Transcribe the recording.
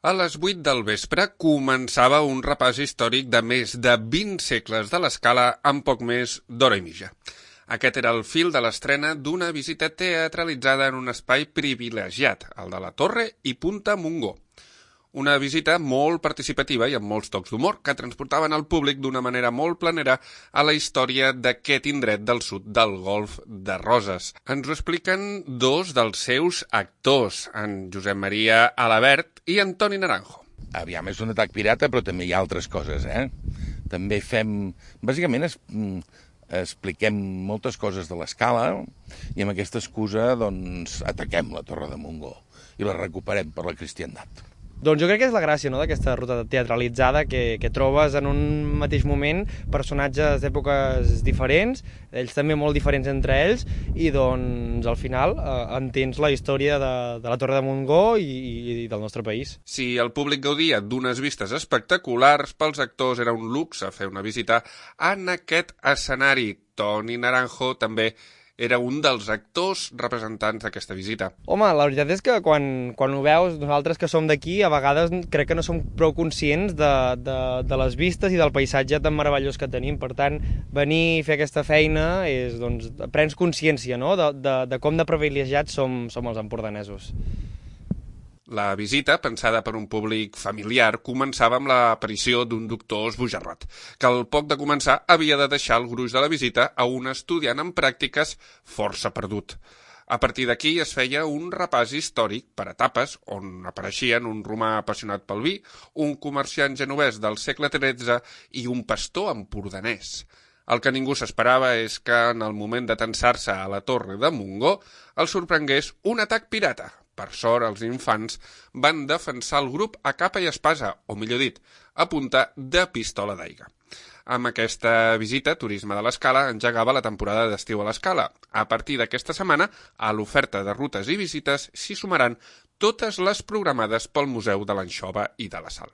A les 8 del vespre començava un repàs històric de més de 20 segles de l'Escala en poc més d'hora i mitja. Aquest era el fil de l'estrena d'una visita teatralitzada en un espai privilegiat, el de la Torre i Punta Montgó. Una visita molt participativa i amb molts tocs d'humor que transportaven el públic d'una manera molt planera a la història d'aquest indret del sud del Golf de Roses. Ens ho expliquen dos dels seus actors, en Josep Maria Alabert i Antoni Naranjo. Aviam, és un atac pirata, però també hi ha altres coses, També fem... Bàsicament expliquem moltes coses de l'Escala i amb aquesta excusa, doncs, ataquem la Torre de Montgó i la recuperem per la cristiandat. Doncs jo crec que és la gràcia, no?, d'aquesta ruta teatralitzada que trobes en un mateix moment personatges d'èpoques diferents, ells també molt diferents entre ells, i doncs al final entens la història de la Torre de Montgó i del nostre país. Si el públic gaudia d'unes vistes espectaculars, pels actors era un luxe fer una visita en aquest escenari. Toni Naranjo també era un dels actors representants d'aquesta visita. Home, la veritat és que quan ho veus, nosaltres que som d'aquí, a vegades crec que no som prou conscients de les vistes i del paisatge tan meravellós que tenim. Per tant, venir i fer aquesta feina és, doncs, prens consciència, no?, de com de privilegiats som els empordanesos. La visita, pensada per un públic familiar, començava amb l'aparició d'un doctor esbojarrat, que al poc de començar havia de deixar el gruix de la visita a un estudiant en pràctiques força perdut. A partir d'aquí es feia un repàs històric per etapes, on apareixien un romà apassionat pel vi, un comerciant genovès del segle XIII i un pastor empordanès. El que ningú s'esperava és que en el moment de tensar-se a la Torre de Montgó el sorprengués un atac pirata. Per sort, els infants van defensar el grup a capa i espasa, o millor dit, a punta de pistola d'aigua. Amb aquesta visita, Turisme de l'Escala engegava la temporada d'estiu a l'Escala. A partir d'aquesta setmana, a l'oferta de rutes i visites s'hi sumaran totes les programades pel Museu de l'Anxova i de la Sal.